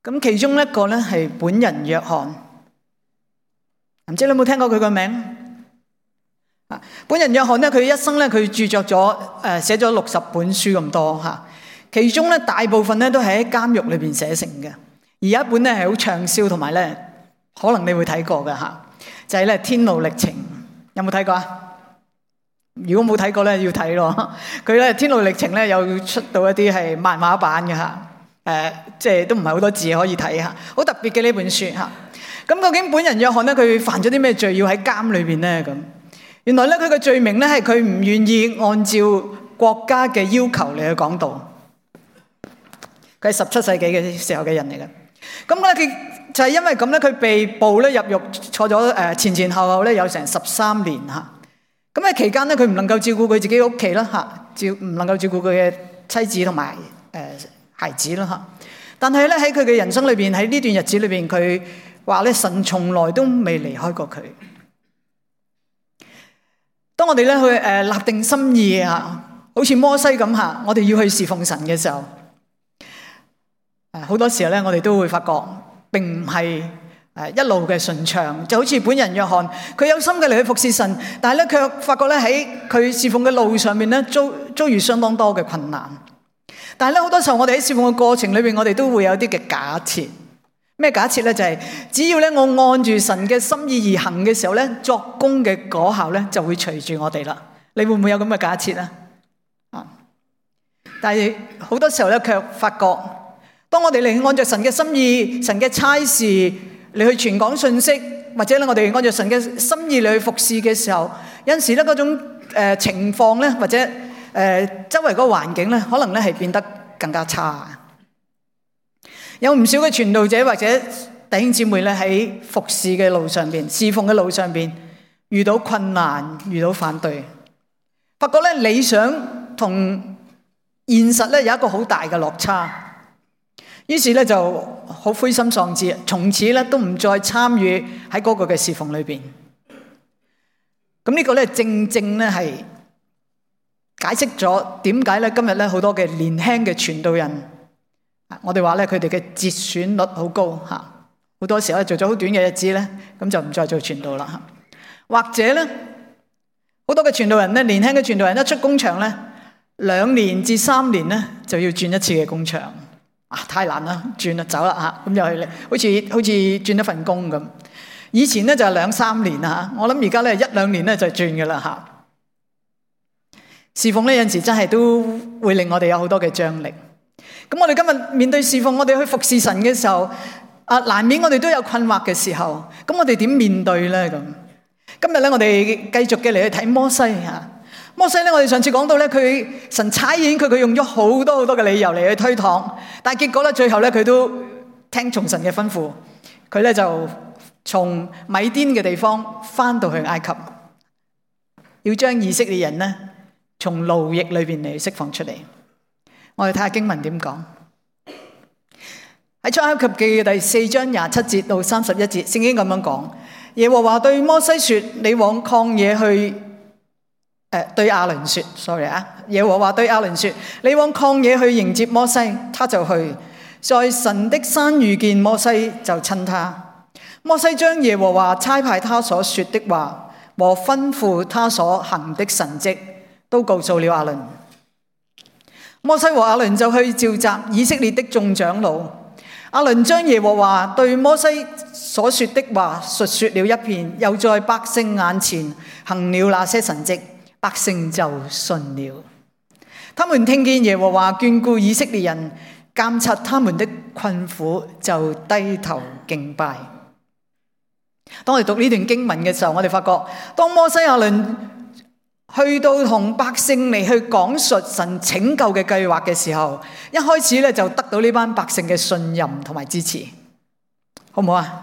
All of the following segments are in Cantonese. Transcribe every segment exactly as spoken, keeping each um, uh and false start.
咁其中一個咧係本人約翰，唔知你有冇聽過佢個名？啊，本人約翰咧，佢一生咧佢著作咗誒寫咗六十本書咁多嚇，其中咧大部分咧都係喺監獄裏邊寫成嘅，而有一本咧係好暢銷，同埋咧可能你會睇過嘅嚇，就係咧《天路歷程》，有冇睇過啊？如果冇睇過咧，要睇咯。佢咧《天路歷程》咧有出到一啲係漫畫版嘅嚇。誒、呃，即係都唔係好多字可以睇下，好特別嘅呢本書嚇。咁究竟本人約翰咧，佢犯咗啲咩罪要喺監裏邊咧？咁原來咧，佢嘅罪名咧係佢唔願意按照國家嘅要求嚟去講道。佢係十七世紀嘅時候嘅人嚟嘅。咁咧，佢就係因為咁咧，佢被捕咧入獄，坐咗誒前前後後咧有成十三年嚇。咁喺期間咧，佢唔能夠照顧佢自己屋企啦嚇，照唔能夠照顧佢嘅妻子同埋誒孩子啦嚇，但係咧喺佢嘅人生裏邊，喺呢段日子裏邊，佢話咧神從來都未離開過佢。當我哋咧去誒立定心意啊，好似摩西咁嚇，我哋要去侍奉神嘅時候，誒好多時候咧，我哋都會發覺並唔係誒一路嘅順暢，就好似本人約翰，佢有心嘅嚟去服侍神，但係咧卻發覺咧喺佢侍奉嘅路上面咧遭遭遇相當多嘅困難。但係咧，好多時候我哋喺侍奉嘅過程裏邊，我哋都會有啲嘅假設。咩假設咧？就係只要咧我按住神嘅心意而行嘅時候咧，作工嘅果效咧就會隨住我哋啦。你會唔會有咁嘅假設啊？啊！但係好多時候咧，卻發覺當我哋嚟按照神嘅心意、神嘅差事嚟去傳講信息，或者咧我哋按照神嘅心意嚟去服侍嘅時候，有陣時咧嗰種誒情況咧，或者誒、呃、周圍嗰個環境咧，可能咧係變得更加差。有唔少嘅傳道者或者弟兄姊妹咧喺服侍嘅路上邊、侍奉嘅路上邊遇到困難、遇到反對，發覺咧理想同現實咧有一個好大嘅落差，於是咧就好灰心喪志，從此咧都唔再參與喺嗰個嘅侍奉裏邊。咁呢個咧正正咧係解釋咗點解咧今日咧好多嘅年輕嘅傳道人，我哋話咧佢哋嘅折選率好高吓，好多時候做咗好短嘅日子咧，咁就唔再做傳道啦。或者咧好多嘅傳道人咧，年輕嘅傳道人一出工場咧，兩年至三年咧就要轉一次嘅工場啊，太難啦，轉啦走啦吓，咁又係好似好似轉一份工咁。以前咧就係兩三年啦吓，我諗而家咧一兩年咧就轉噶啦吓。侍奉呢有陣時真係都會令我哋有好多嘅張力。咁我哋今日面對侍奉，我哋去服侍神嘅時候，啊難免我哋都有困惑嘅時候，咁我哋點面對咧？咁今日咧我哋繼續嘅嚟去睇摩西吓。摩西咧，我哋上次講到咧，佢神差遣佢，佢用咗好多好多嘅理由嚟去推搪，但係結果咧最後咧佢都聽從神嘅吩咐，佢咧就從米甸嘅地方翻到去埃及，要將以色列人咧從奴役裏邊嚟釋放出嚟。我哋睇下經文點講，喺出埃及記嘅第四章廿七節到三十一節，聖經咁樣講：耶和華對摩西說，你往曠野去，誒、呃、對亞倫說 ，sorry 啊，耶和華對亞倫說，你往曠野去迎接摩西，他就去，在神的山遇見摩西，就親他。摩西將耶和華差派他所說的話和吩咐他所行的神蹟，都告訴了亞倫。摩西和亞倫就去召集以色列的眾長老。亞倫將耶和華對摩西所說的話述說了一遍，又在百姓眼前行了那些神蹟，百姓就信了。他們聽見耶和華眷顧以色列人，監察他們的困苦，就低頭敬拜。當我哋讀呢段經文嘅時候，我哋發覺當摩西亞倫去到同百姓嚟去講述神拯救嘅計劃嘅時候，一開始咧就得到呢班百姓嘅信任同埋支持，好唔好啊？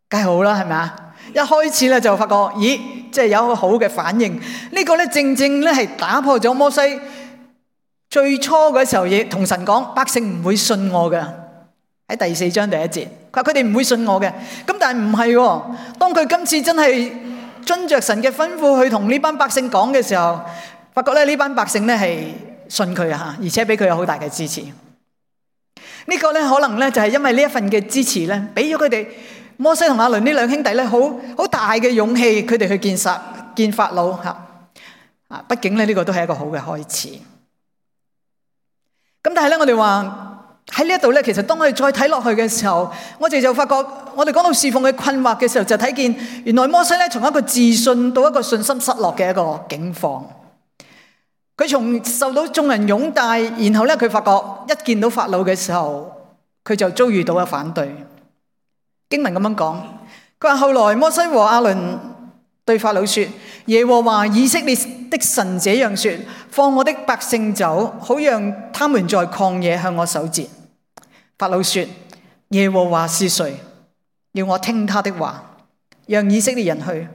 梗係好啦，係咪啊？一開始咧就發覺，咦，即係有一個好嘅反應。呢個咧正正咧係打破咗摩西最初嗰時候亦同神講，百姓唔會信我嘅。喺第四章第一節，佢話佢哋唔會信我嘅。咁但係唔係喎，當佢今次真係遵着神嘅吩咐去同呢班百姓講嘅時候，發覺咧呢班百姓咧係信佢啊，而且俾佢有好大嘅支持。呢呢個咧可能咧就係因為呢一份嘅支持咧，俾咗佢哋摩西同亞倫呢兩兄弟咧，好好大嘅勇氣，佢哋去見殺見法老吓啊！畢竟咧呢個都係一個好嘅開始。咁但係咧，我哋話喺呢一度咧，其實當我哋再睇落去嘅時候，我哋就發覺，我哋講到侍奉嘅困惑嘅時候，就睇見原來摩西咧從一個自信到一個信心失落嘅一個境況。佢從受到眾人擁戴，然後咧佢發覺一見到法老嘅時候，佢就遭遇到咗反對。經文咁樣講，佢話後來摩西和亞倫對法老說：耶和華以色列的神這樣說，放我的百姓走，好讓他們在曠野向我守節。法老說：耶和華是誰？要我聽他的話，讓以色列人去。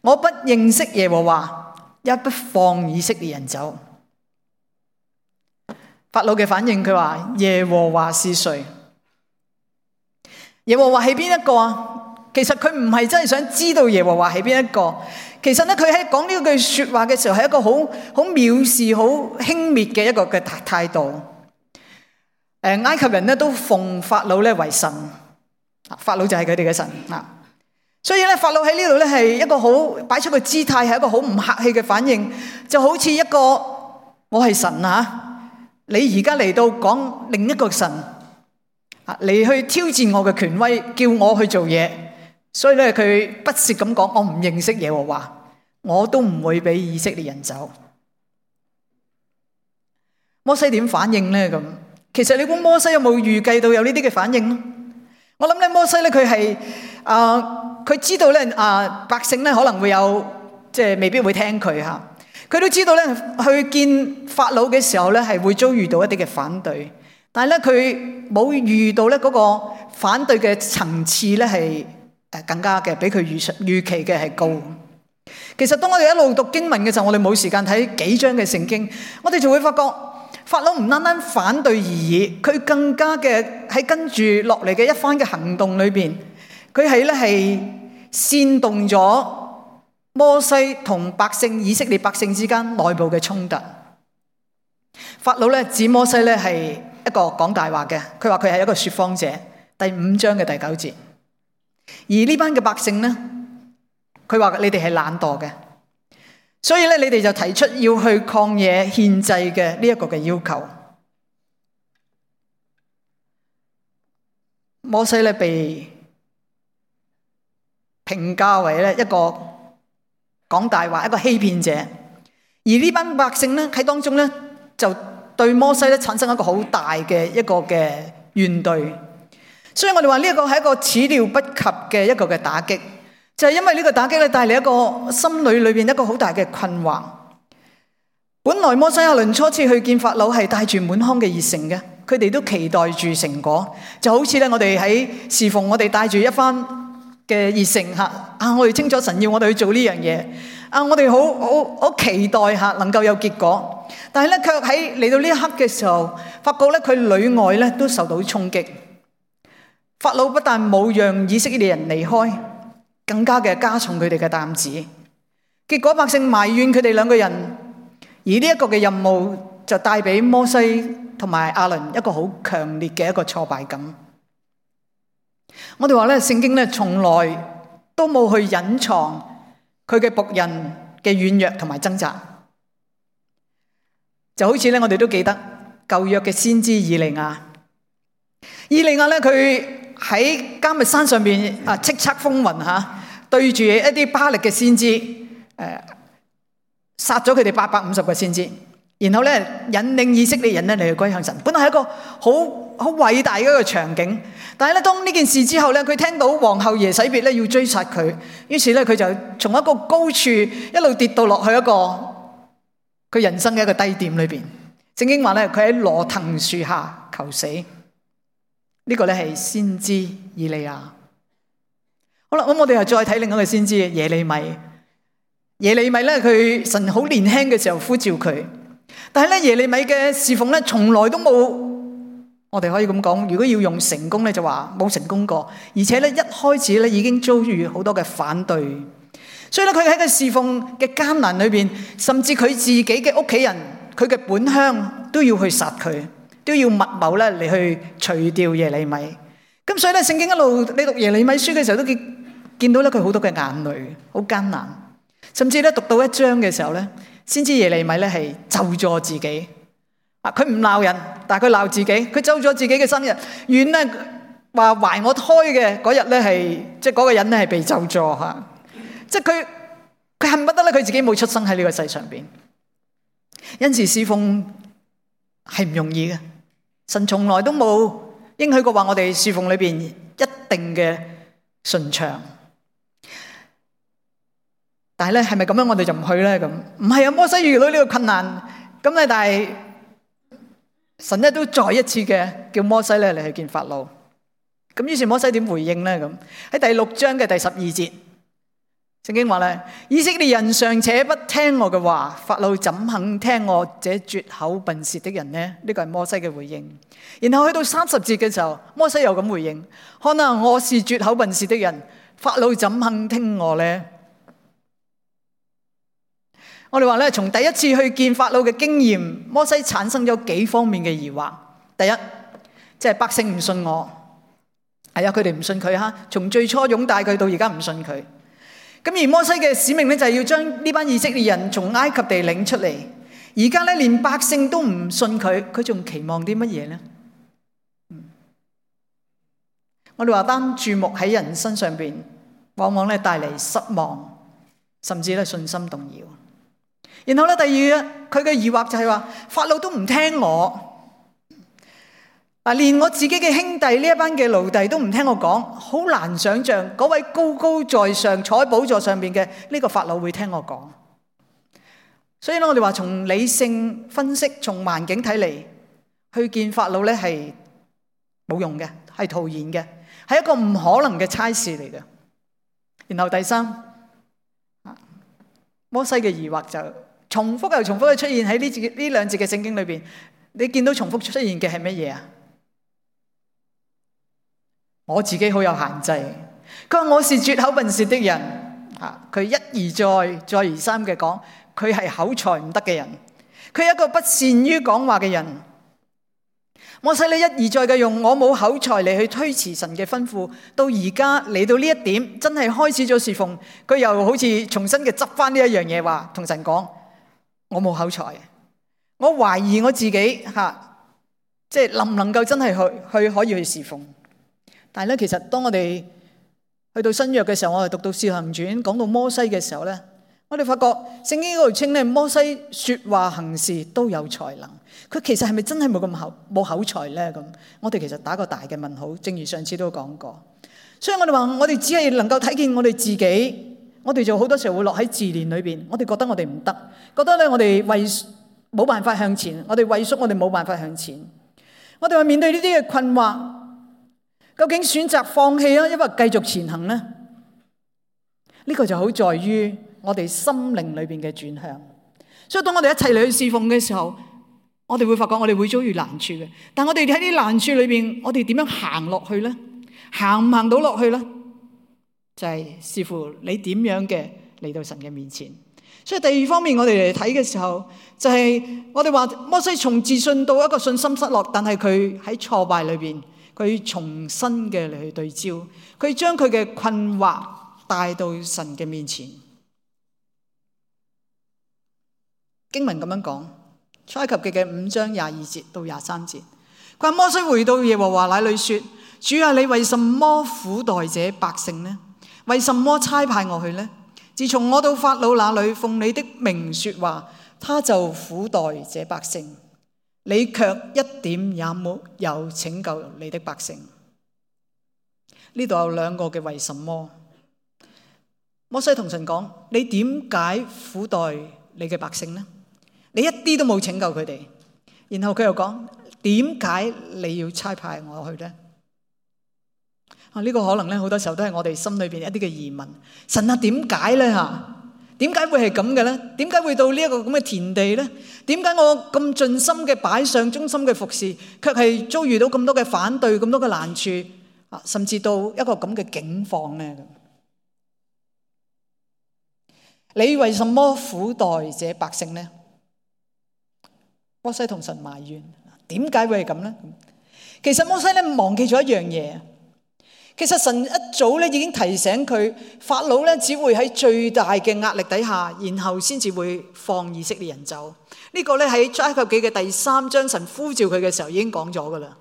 我不認識耶和華，也不放以色列人走。法老嘅反應，佢話耶和華是誰？耶和華係邊一個啊？其實佢唔係真係想知道耶和華係邊一個。其實咧，佢喺講呢句說話嘅時候，係一個好好藐視、好輕蔑嘅一個嘅態度。誒，埃及人咧都奉法老咧為神，法老就係佢哋嘅神啊。所以咧，法老喺呢度咧係一個好擺出個姿態，係一個好唔客氣嘅反應，就好似一個我係神啊，你而家嚟到講另一個神啊，嚟去挑戰我嘅權威，叫我去做嘢。所以咧，佢不屑咁講，我唔認識耶和華，我都唔會俾以色列人走。摩西點反應咧？咁其實你估摩西有冇預計到有呢啲嘅反應咧？我諗咧，摩西咧佢係啊，佢知道咧啊，百姓咧可能會有即係未必會聽佢吓，佢都知道咧去見法老嘅時候咧係會遭遇到一啲嘅反對，但係咧佢冇遇到咧嗰個反對嘅層次咧係。誒，更加嘅比佢預預期嘅係高。其實當我哋一路讀經文嘅時候，我哋冇時間睇幾章嘅聖經，我哋就會發覺法老唔單單反對而已，佢更加嘅喺跟住落嚟嘅一番嘅行動裏邊，佢係咧係煽動咗摩西同百姓以色列百姓之間內部嘅衝突。法老咧指摩西咧係一個講大話嘅，佢話佢係一個說謊者。第五章嘅第九節。而呢班嘅百姓呢，佢話你哋係懶惰嘅，所以咧你哋就提出要去曠野獻祭嘅呢一個嘅要求。摩西咧被評價為咧一個講大話、一個欺騙者，而呢班百姓咧喺當中咧就對摩西咧產生一個好大嘅一個嘅怨懟。所以我哋話呢一個係一個始料不及嘅一個嘅打擊，就係因為呢個打擊咧帶嚟一個心裏裏邊一個好大嘅困惑。本來摩西亞倫初次去見法老係帶住滿腔嘅熱誠嘅，佢哋都期待住成果，就好似咧我哋喺侍奉，我哋帶住一番嘅熱誠吓啊，我哋清楚神要我哋去做呢樣嘢啊，我哋好好好期待吓能夠有結果，但係咧卻喺嚟到呢一刻嘅時候，發覺咧佢裏外咧都受到衝擊。法老不但冇讓以色列人離開，更加嘅加重佢哋嘅擔子。結果百姓埋怨佢哋兩個人，而呢一個嘅任務就帶俾摩西同埋亞倫一個好強烈嘅一個挫敗感。我哋話咧，聖經咧從來都冇去隱藏佢嘅僕人嘅軟弱同埋掙扎，就好似咧我哋都記得舊約嘅先知以利亞，以利亞咧佢。喺迦密山上邊啊，叱咤風雲吓，對住一啲巴力嘅先知，誒，殺咗佢哋八百五十個先知，然後咧引領以色列人咧嚟去歸向神。本來係一個好好偉大嘅一個場景，但係咧當呢件事之後咧，佢聽到皇后耶洗別咧要追殺佢，於是咧佢就從一個高處一路跌到落去一個佢人生嘅一個低點裏邊。聖經話咧，佢喺羅藤樹下求死。呢個咧係先知以利亞。好啦，咁我哋又再睇另一個先知耶利米。耶利米咧，佢神好年輕嘅時候呼召佢，但係咧耶利米嘅侍奉咧，從來都冇，我哋可以咁講，如果要用成功咧，就話冇成功過，而且咧一開始咧已經遭遇好多嘅反對，所以咧佢喺個侍奉嘅艱難裏邊，甚至佢自己嘅屋企人，佢嘅本鄉都要去殺佢。都要密謀咧嚟去除掉耶利米。咁所以咧，聖經一路你讀耶利米書嘅時候都見見到咧佢好多嘅眼淚，好艱難。甚至咧讀到一章嘅時候咧，先知耶利米咧係咒詛自己。啊，佢唔鬧人，但係佢鬧自己，佢咒咗自己嘅生日。願咧話懷我胎嘅嗰日咧係，即係嗰個人咧係被咒詛吓。即係佢佢恨不得咧佢自己冇出生喺呢個世上邊。因此侍奉係唔容易嘅，神從來都冇應許過話我哋侍奉裏邊一定嘅順暢。但係咧係咪咁樣我哋就唔去咧？咁唔係啊，摩西遇到呢個困難，咁咧但係神咧都再一次嘅叫摩西咧嚟去見法老。咁於是摩西點回應咧？咁喺第六章嘅第十二節，聖經話咧，以色列人尚且不聽我嘅話，法老怎肯聽我這拙口笨舌的人呢？呢個係摩西嘅回應。然後去到三十節嘅時候，摩西又咁回應：看啊，我是拙口笨舌的人，法老怎肯聽我呢？我哋話咧，從第一次去見法老嘅經驗，摩西產生咗幾方面嘅疑惑。第一，即係百姓唔信我，係啊，佢哋唔信佢哈。從最初擁戴佢到而家唔信佢。咁而摩西嘅使命咧，就係要將呢班以色列人從埃及地領出嚟。而家咧，連百姓都唔信佢，佢仲期望啲乜嘢咧？我哋話單注目喺人身上邊，往往咧帶嚟失望，甚至咧信心動搖。然後咧，第二佢嘅疑惑就係話，法老都唔聽我，嗱，連我自己嘅兄弟呢一班嘅奴隸都唔聽我講，好難想象嗰位高高在上坐喺寶座上邊嘅呢個法老會聽我講。所以咧，我哋話從理性分析，從環境睇嚟，去見法老咧係冇用嘅，係徒然嘅，係一個唔可能嘅差事嚟嘅。然後第三，摩西嘅疑惑就重複又重複嘅出現喺呢節呢兩節嘅聖經裏邊。你見到重複出現嘅係乜嘢啊？我自己好有限制。佢話我是拙口笨舌的人，啊，佢一而再再而三嘅講，佢係口才唔得嘅人，佢係一個不善於講話嘅人。摩西你一而再嘅用我冇口才嚟去推辭神嘅吩咐，到而家嚟到呢一點，真係開始咗侍奉，佢又好似重新嘅執翻呢一樣嘢，話同神講我冇口才，我懷疑我自己吓，即係能唔能夠真係去去可以去侍奉。但係咧，其實當我哋去到新約嘅時候，我哋讀到《使行傳》講到摩西嘅時候咧，我哋發覺聖經嗰度稱咧，摩西說話行事都有才能。佢其實係咪真係冇咁口冇口才咧？咁我哋其實打個大嘅問號。正如上次都講過，所以我哋話我哋只係能夠睇見我哋自己，我哋就好多時候會落喺自憐裏邊。我哋覺得我哋唔得，覺得咧我哋為冇辦法向前，我哋畏縮，我哋冇辦法向前。我哋話面對呢啲嘅困惑，究竟選擇放棄啊，抑或繼續前行呢？呢個就好在於我哋心靈裏邊嘅轉向。所以當我哋一齊嚟去侍奉嘅時候，我哋會發覺我哋會遭遇難處嘅。但我哋喺啲難處裏邊，我哋點樣行落去呢？行唔行到落去呢？就係視乎你點樣嘅嚟到神嘅面前。所以第二方面，我哋嚟睇嘅時候，就係我哋話摩西從自信到一個信心失落，但係佢喺挫敗裏邊，佢重新嘅嚟去對焦，佢將佢嘅困惑帶到神嘅面前。經文咁樣講，出埃及記嘅五章廿二節到廿三節，佢話摩西回到耶和華那裏說：主啊，你為什麼苦待這百姓呢？為什麼差派我去呢？自從我到法老那裏奉你的名說話，他就苦待這百姓，你卻一點也沒有拯救你的百姓。呢度有兩個嘅為什麼。摩西同神講：你點解苦待你嘅百姓呢？你一啲都冇拯救佢哋。然後佢又講：點解你要差派我去呢？啊，呢個可能咧好多時候都係我哋心裏邊一啲嘅疑問。神啊，點解咧吓？點解會係咁嘅咧？點解會到呢一個咁嘅田地咧？點解我咁盡心嘅擺上忠心嘅服侍，卻係遭遇到咁多嘅反對、咁多嘅難處啊，甚至到一個咁嘅境況咧？你為什麼苦待這百姓呢？摩西同神埋怨，點解會係咁咧？其實摩西咧忘記咗一樣嘢，其實神一早咧已經提醒佢，法老咧只會喺最大嘅壓力底下，然後先至會放以色列人走。呢個咧喺出埃及記嘅第三章，神呼召佢嘅時候已經講咗噶啦。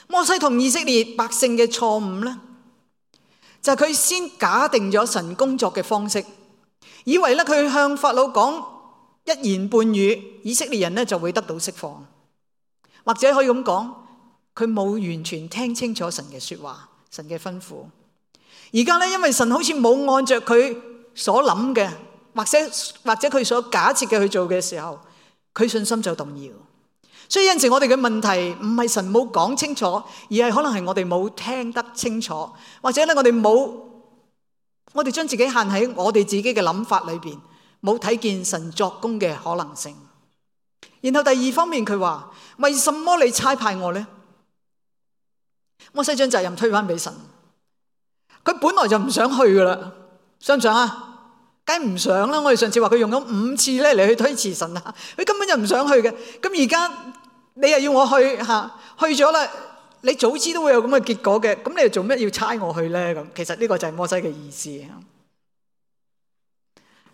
摩西同以色列百姓嘅錯誤咧，就係佢先假定咗神工作嘅方式，以為咧佢向法老講一言半語，以色列人咧就會得到釋放，或者可以咁講，佢冇完全聽清楚神嘅說話，神嘅吩咐。而家咧，因為神好似冇按着佢所諗嘅，或者或者佢所假設嘅去做嘅時候，佢信心就動搖。所以有陣時我哋嘅問題唔係神冇講清楚，而係可能係我哋冇聽得清楚，或者咧我哋冇，我哋將自己限喺我哋自己嘅諗法裏邊，冇睇見神作工嘅可能性。然後第二方面佢話，為什麼你差派我呢？摩西將責任推返俾神，佢本來就唔想去噶啦，想唔想啊？梗唔想啦！我哋上次話佢用咗五次咧嚟去推辭神啊，佢根本就唔想去嘅。咁而家你又要我去吓，去咗啦，你早知都會有咁嘅結果嘅，咁你又做咩要差我去咧？咁其實呢個就係摩西嘅意思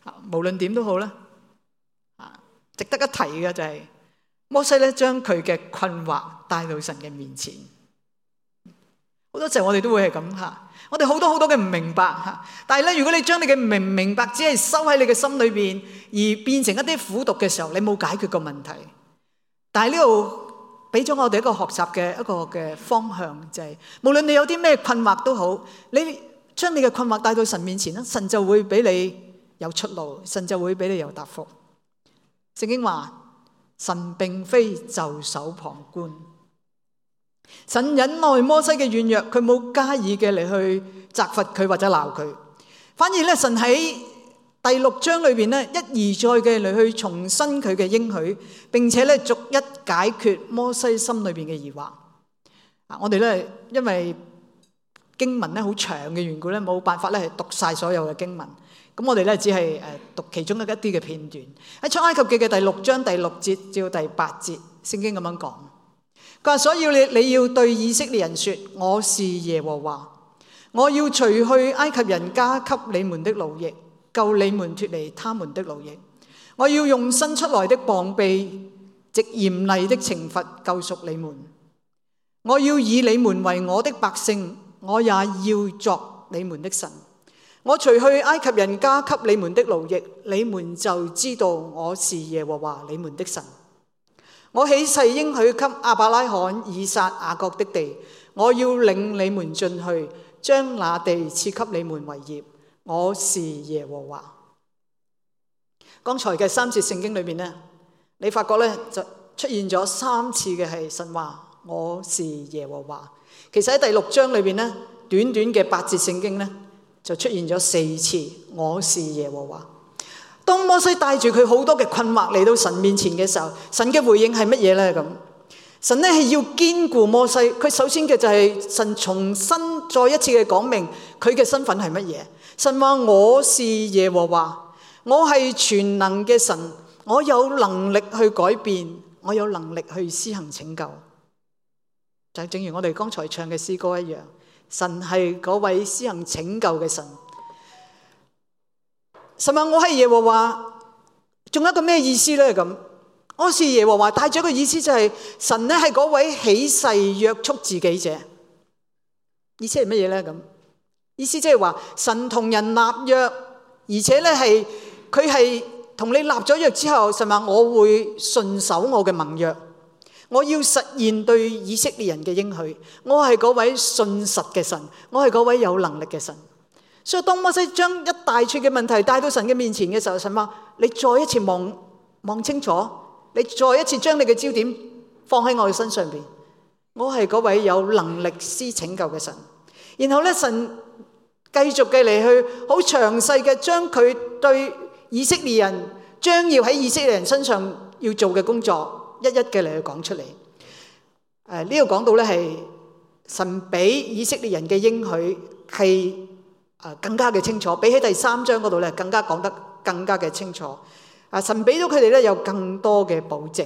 啊。無論點都好啦，啊，值得一提嘅就係摩西咧，將佢嘅困惑帶到神嘅面前。好多時候我哋都會係咁吓。我哋好多好多嘅唔明白吓，但係咧，如果你將你嘅明唔明白只係收喺你嘅心裏邊，而變成一啲苦毒嘅時候，你冇解決個問題。但係呢度俾咗我哋一個學習嘅一個嘅方向，就係無論你有啲咩困惑都好，你將你嘅困惑帶到神面前啦，神就會俾你有出路，神就會俾你有答覆。聖經話，神並非袖手旁觀。神忍耐摩西嘅軟弱，佢冇加以嘅嚟去責罰佢或者鬧佢，反而咧神喺第六章裏邊咧一而再嘅嚟去重申佢嘅應許，並且咧逐一解決摩西心裏邊嘅疑惑。啊，我哋咧因為經文咧好長嘅緣故咧，冇辦法咧係讀晒所有嘅經文，咁我哋咧只係誒讀其中一啲嘅片段。喺出埃及記嘅第六章第六節至到第八節，聖經咁樣講。佢話，所以你你要對以色列人說，我是耶和華，我要除去埃及人加給你們的奴役，救你們脫離他們的奴役。我要用伸出來的膀臂，藉嚴厲的懲罰救贖你們。我要以你們為我的百姓，我也要作你們的神。我除去埃及人加給你們的奴役，你們就知道我是耶和華你們的神。我起誓應許給亞伯拉罕、以撒、雅各的地，我要領你們進去，將那地賜給你們為業。我是耶和華。剛才嘅三節聖經裏面呢，你發覺呢就出現咗三次嘅係神話我是耶和華。其實喺第六章裏面呢，短短嘅八節聖經呢，就出現咗四次我是耶和華。當摩西帶住佢好多嘅困惑嚟到神面前嘅時候，神嘅回應係乜嘢呢？咁神咧係要堅固摩西，佢首先嘅就係神重新再一次嘅講明佢嘅身份係乜嘢。神話我是耶和華，我係全能嘅神，我有能力去改變，我有能力去施行拯救。就正如我哋剛才唱嘅詩歌一樣，神係嗰位施行拯救嘅神。神話我係耶和華，仲有一個咩意思呢？咁我是耶和華帶咗個意思就係神咧係嗰位起誓約束自己者。意思係乜嘢呢？咁意思即係話神同人立約，而且咧係佢係同你立咗約之後，神話我會順守我嘅盟約，我要實現對以色列人嘅應許。我係嗰位信實嘅神，我係嗰位有能力嘅神。所以當摩西將一大串嘅問題帶到神嘅面前嘅時候，神話你再一次望望清楚，你再一次將你嘅焦點放喺我嘅身上邊。我係嗰位有能力施拯救嘅神。然後咧，神繼續嘅嚟去好詳細嘅將佢對以色列人將要喺以色列人身上要做嘅工作一一嘅嚟去講出嚟。誒，呢度講到咧係神俾以色列人嘅應許係誒更加嘅清楚，比起第三章嗰度咧更加講得更加嘅清楚。啊，神俾到佢哋咧有更多嘅保證。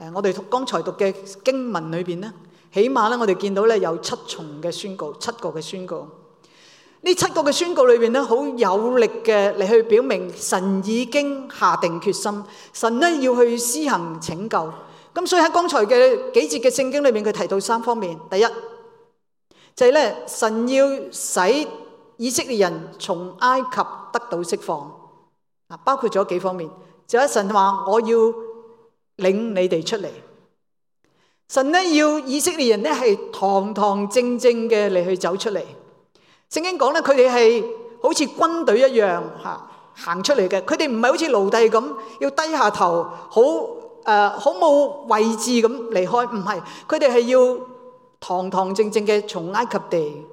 誒，我哋剛才讀嘅經文裏邊咧，起碼咧我哋見到咧有七重嘅宣告，七個嘅宣告。呢七個嘅宣告裏邊咧，好有力嘅嚟去表明神已經下定決心，神咧要去施行拯救。咁所以喺剛才嘅幾節嘅聖經裏面，佢提到三方面。第一就係咧，神要使以色列人從埃及得到釋放，啊，包括咗幾方面。就係神話我要領你哋出嚟，神咧要以色列人咧係堂堂正正嘅嚟去走出嚟。聖經講咧，佢哋係好似軍隊一樣嚇行出嚟嘅，佢哋唔係好似奴隸咁要低下頭，好誒好冇位置咁離開，唔係，佢哋係要堂堂正正嘅從埃及地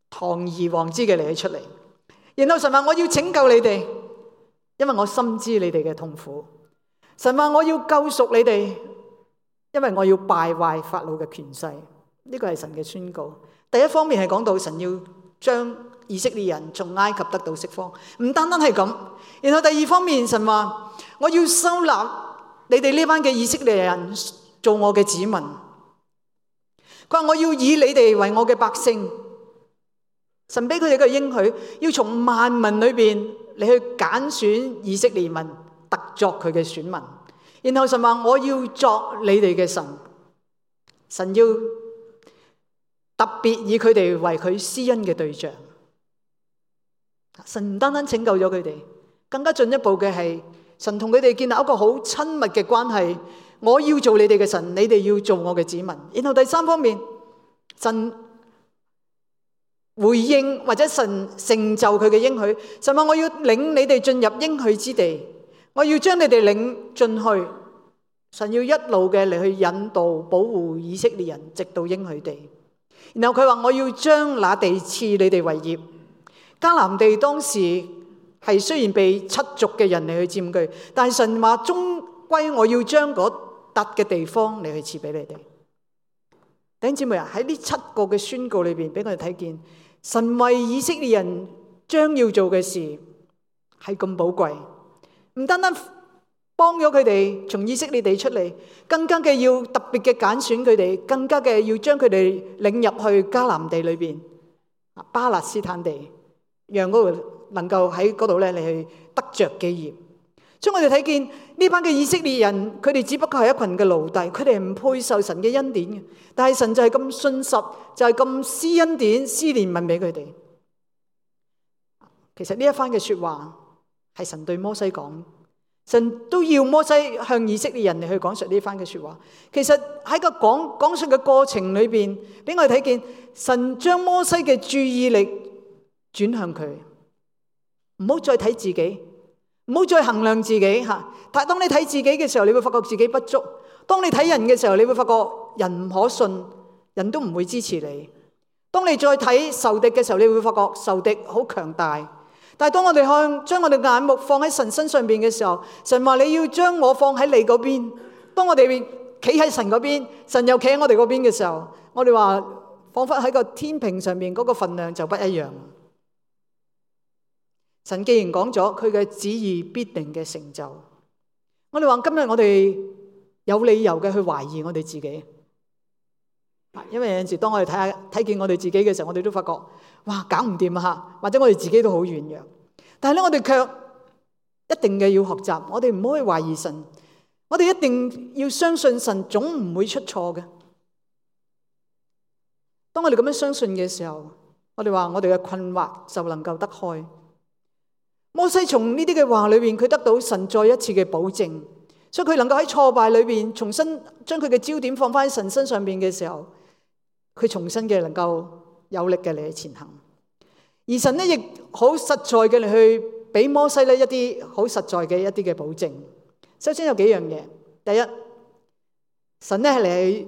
堂而皇之嘅嚟出嚟。然後神話我要拯救你哋，因為我深知你哋嘅痛苦。神話我要救贖你哋，因為我要敗壞法老嘅權勢。呢個係神嘅宣告。第一方面係講到神要將以色列人從埃及得到釋放，唔單單係咁。然後第二方面，神話我要收納你哋呢班嘅以色列人做我嘅子民。佢話我要以你哋為我嘅百姓。神俾佢哋嘅應許，要從萬民裏邊你去揀選以色列民，特作佢嘅選民。然後神話我要作你哋嘅神，神要特別以佢哋為佢施恩嘅對象。神唔單單拯救咗佢哋，更加進一步嘅係神同佢哋建立一個好親密嘅關係。我要做你哋嘅神，你哋要做我嘅子民。然後第三方面，神回應或者神成就佢嘅應許。神話我要領你哋進入應許之地，我要將你哋領進去。神要一路嘅嚟去引導保護以色列人直到應許地。然後佢話我要將那地賜你哋為業。迦南地當時係雖然被七族嘅人嚟去佔據，但係神話終歸我要將嗰笪嘅地方嚟去賜俾你哋。弟兄姊妹啊，喺呢七個嘅宣告裏邊，俾我哋睇見神為以色列人將要做嘅事係咁寶貴，唔單單幫咗佢哋從以色列地出嚟，更加嘅要特別嘅揀選佢哋，更加嘅要將佢哋領入去迦南地裏邊，巴勒斯坦地，讓嗰度能夠喺嗰度咧，你去得着基業。所以我哋睇見呢班嘅以色列人，佢哋只不過係一群嘅奴隸，佢哋唔配受神嘅恩典嘅。但係神就係咁信實，就係咁施恩典、施憐憫俾佢哋。其實呢一番嘅說話係神對摩西講，神都要摩西向以色列人嚟去講述呢番嘅說話。其實喺個講講述嘅過程裏邊，俾我哋睇見神將摩西嘅注意力轉向佢，唔好再睇自己。唔好再衡量自己吓，但係當你睇自己嘅時候，你會發覺自己不足；當你睇人嘅時候，你會發覺人唔可信，人都唔會支持你。當你再睇仇敵嘅時候，你會發覺仇敵好強大。但係當我哋向將我哋眼目放喺神身上邊嘅時候，神話你要將我放喺你嗰邊。當我哋企喺神嗰邊，神又企喺我哋嗰邊嘅時候，我哋話仿佛喺個天平上面嗰個份量就不一樣。神既然講咗佢嘅旨意必定嘅成就，我哋話今日我哋有理由嘅去懷疑我哋自己，因為有陣時當我哋睇下睇見我哋自己嘅時候，我哋都發覺哇搞唔掂啊吓，或者我哋自己都好軟弱。但係咧，我哋卻一定嘅要學習，我哋唔可以懷疑神，我哋一定要相信神總唔會出錯嘅。當我哋咁樣相信嘅時候，我哋話我哋嘅困惑就能夠得開。摩西從呢啲嘅話裏邊，佢得到神再一次嘅保證，所以佢能夠喺挫敗裏邊重新將佢嘅焦點放翻喺神身上邊嘅時候，佢重新嘅能夠有力嘅嚟去前行。而神呢亦好實在嘅嚟去俾摩西呢一啲好實在嘅一啲嘅保證。首先有幾樣嘢，第一，神呢係嚟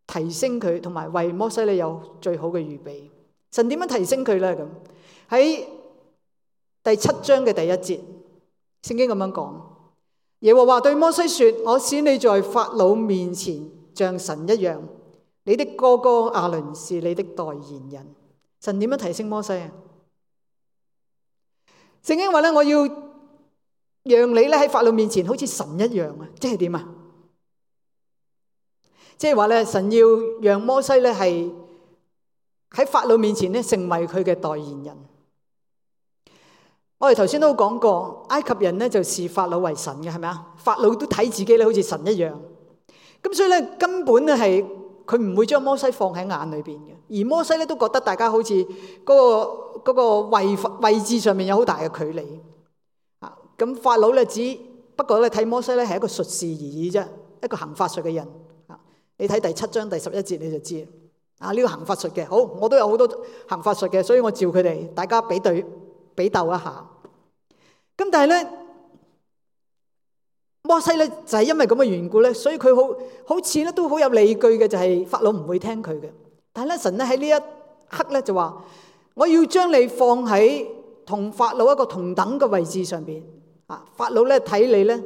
提升佢，同埋為摩西呢有最好嘅預備。神點樣提升佢呢？咁喺第七章嘅第一節，聖經咁樣講：耶和華對摩西說，我使你在法老面前像神一樣，你的哥哥亞倫是你的代言人。神點樣提升摩西啊？聖經話咧，我要讓你咧喺法老面前好似神一樣啊！即係點啊？即係話咧，神要讓摩西咧係喺法老面前咧成為佢嘅代言人。我哋頭先都講過，埃及人咧就視法老為神嘅，係咪啊？法老都睇自己咧好似神一樣，咁所以咧根本咧係佢唔會將摩西放喺眼裏邊嘅。而摩西咧都覺得大家好似嗰個嗰個位位置上面有好大嘅距離啊。咁法老咧只不過咧睇摩西咧係一個術士而已啫，一個行法術嘅人啊。你睇第七章第十一節你就知啊，呢個行法術嘅。好，我都有好多行法術嘅，所以我召佢哋大家比對比鬥一下。咁但係咧摩西咧就係因為咁嘅緣故咧，所以佢好好似咧都好有理據嘅，就係法老唔會聽佢嘅。但係咧神咧喺呢一刻咧就話，我要將你放喺同法老一個同等嘅位置上邊啊。法老咧睇你咧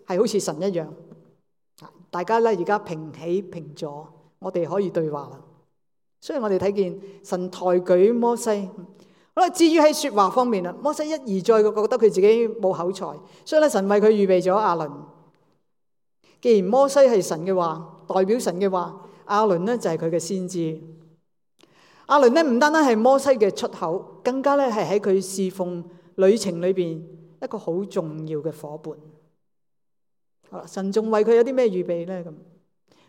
係好似神一樣，大家咧而家平起平坐，我哋可以對話啦。所以我哋睇見神抬舉摩西。好啦，至於喺說話方面啦，摩西一而再覺得佢自己冇口才，所以咧神為佢預備咗亞倫。既然摩西係神嘅話，代表神嘅話，亞倫咧就係佢嘅先知。亞倫咧唔單單係摩西嘅出口，更加咧係喺佢侍奉旅程裏邊一個好重要嘅夥伴。好啦，神仲為佢有啲咩預備咧？咁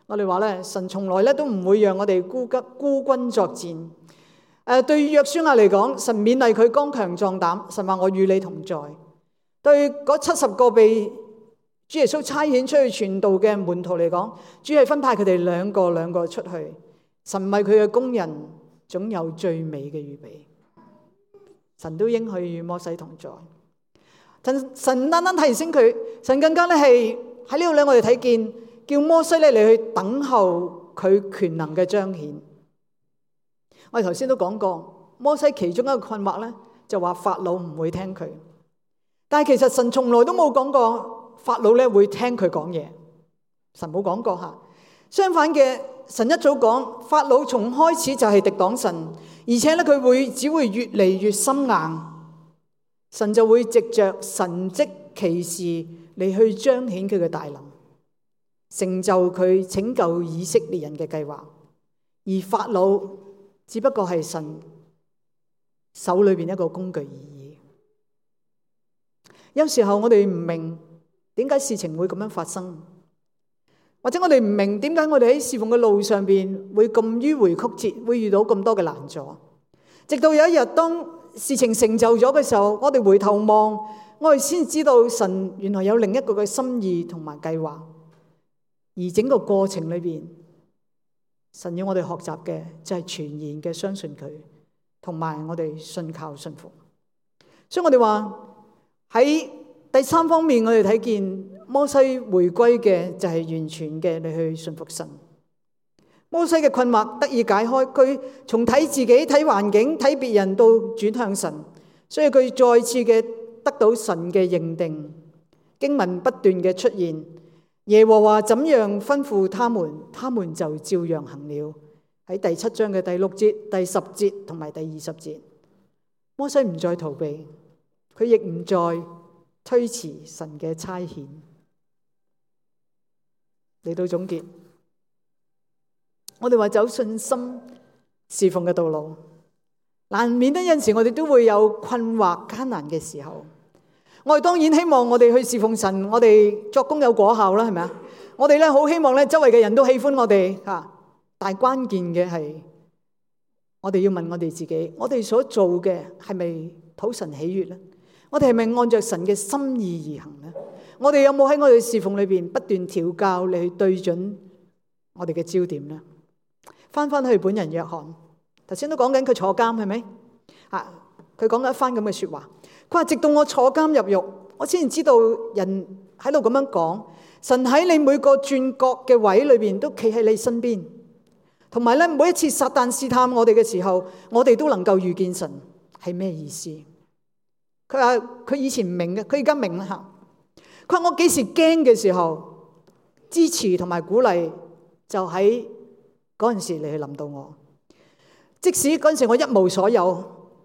我哋話咧，神從來咧都唔會讓我哋孤吉孤軍作戰。誒，對於約書亞嚟講，神勉勵佢剛強壯膽，神話我與你同在。對嗰七十個被主耶穌差遣出去傳道嘅門徒嚟講，主係分派佢哋兩個兩個出去，神為佢嘅工人總有最美嘅預備。神都應許與摩西同在。神神唔單單提醒佢，神更加咧係喺呢度咧，我哋睇見叫摩西咧嚟去等候佢權能嘅彰顯。我哋頭先都講過，摩西其中一個困惑咧，就話法老唔會聽佢。但係其實神從來都冇講過法老咧會聽佢講嘢，神冇講過吓。相反嘅，神一早講法老從開始就係敵擋神，而且咧佢會只會越嚟越心硬，神就會藉着神蹟奇事嚟去彰顯佢嘅大能，成就佢拯救以色列人嘅計劃。而法老只不過係神手裏邊一個工具而已。有時候我哋唔明點解事情會咁樣發生，或者我哋唔明點解我哋喺侍奉嘅路上邊會咁迂迴曲折，會遇到咁多嘅難阻。直到有一日，當事情成就咗嘅時候，我哋回頭望，我哋先知道神原來有另一個嘅心意同埋計劃。而整個過程裏邊，神要我哋學習嘅就係全然嘅相信佢，同埋我哋信靠信服。所以我哋話喺第三方面，我哋睇見摩西回歸嘅就係完全嘅你去信服神。摩西嘅困惑得以解開，佢從睇自己、睇環境、睇別人到轉向神，所以佢再次嘅得到神嘅認定。經文不斷嘅出現，耶和華怎樣吩咐他們，他們就照樣行了。喺第七章嘅第六節、第十節同埋第二十節，摩西唔再逃避，佢亦唔再推遲神嘅差遣。嚟到總結，我哋話走信心侍奉嘅道路，難免得有陣時我哋都會有困惑艱難嘅時候。我哋當然希望我哋去侍奉神，我哋作工有果效啦，係咪啊？我哋咧好希望咧周圍嘅人都喜歡我哋吓，但係關鍵嘅係我哋要問我哋自己，我哋所做嘅係咪討神喜悅咧？我哋係咪按照神嘅心意而行咧？我哋有冇喺我哋侍奉裏邊不斷調教你去對準我哋嘅焦點咧？翻翻去本人約翰，頭先都講緊佢坐監係咪？啊，佢講咗一番咁嘅說話。佢話直到我坐監入獄，我先知道人喺度咁樣講，神喺你每個轉角嘅位裏邊都企喺你身邊，同埋咧每一次撒旦試探我哋嘅時候，我哋都能夠遇見神，係咩意思？佢話佢以前唔明嘅，佢而家明啦吓。佢話我幾時驚嘅時候，支持同埋鼓勵就喺嗰陣時嚟去臨到我。即使嗰陣時我一無所有，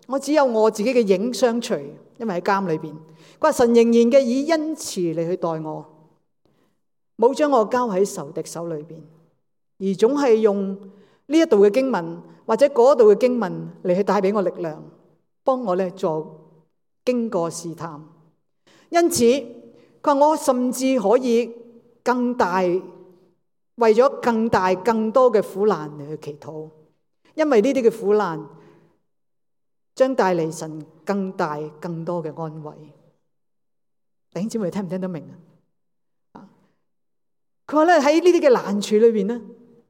我只有我自己嘅影相隨，因為喺監裏邊。佢話神仍然嘅以恩慈嚟去待我，冇將我交喺仇敵手裏邊。而總係用呢一度嘅經文或者嗰度嘅經文嚟去帶俾我力量，幫我咧做經過試探。因此佢話我甚至可以更大，為咗更大更多嘅苦難嚟去祈禱，因為呢啲嘅苦難將帶嚟神更大更多嘅安慰。弟兄姊妹聽唔聽得明啊？佢話咧喺呢啲嘅難處裏邊咧，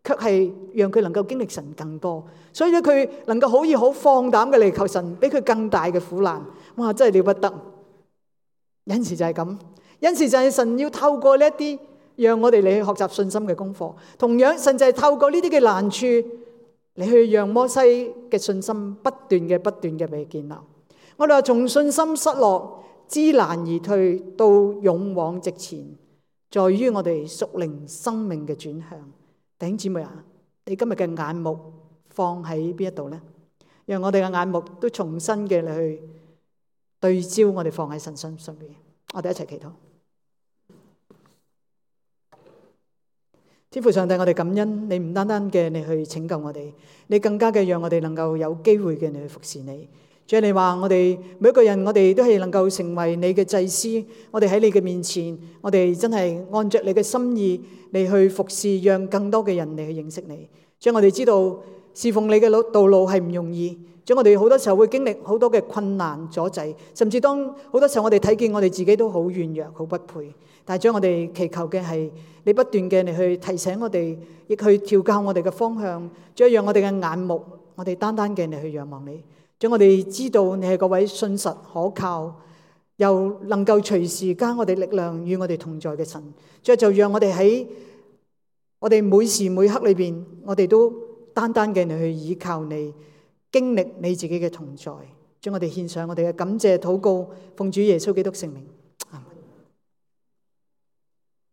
卻係讓佢能夠經歷神更多，所以咧佢能夠可以好放膽嘅嚟求神俾佢更大嘅苦難。哇，真係了不得！有陣時就係咁，有陣時就係神要透過呢一啲，讓我哋嚟去學習信心嘅功課。同樣，神就係透過呢啲嘅難處嚟去讓摩西嘅信心不斷嘅、不斷嘅被建立。我哋話從信心失落、知難而退到勇往直前，在於我哋屬靈生命嘅轉向。弟兄姊妹啊，你今日嘅眼目放喺邊一度呢？讓我哋嘅眼目都重新嘅嚟去對焦，我哋放喺神身上邊。我哋一齊祈禱。天父上帝，我哋感恩你唔單單嘅你去拯救我哋，你更加嘅讓我哋能夠有機會嘅你去服侍你。主啊，你話我哋每一個人，我哋都係能夠成為你嘅祭司。我哋喺你嘅面前，我哋真係按着你嘅心意嚟去服侍，讓更多嘅人嚟去認識你。主啊，我哋知道侍奉你嘅路道路係唔容易。主啊，我哋好多時候會經歷好多嘅困難阻滯，甚至當好多時候我哋睇見我哋自己都好軟弱、好不配。但係主啊，我哋祈求嘅係你不斷嘅嚟去提醒我哋，亦去調教我哋嘅方向。主啊，讓我哋嘅眼目，我哋單單嘅嚟去仰望你。主，我哋知道你係嗰位信實可靠，又能夠隨時加我哋力量與我哋同在嘅神。主，就讓我哋喺我哋每時每刻裏邊，我哋都單單嘅嚟去依靠你，經歷你自己嘅同在。主，我哋獻上我哋嘅感謝禱告，奉主耶穌基督聖名。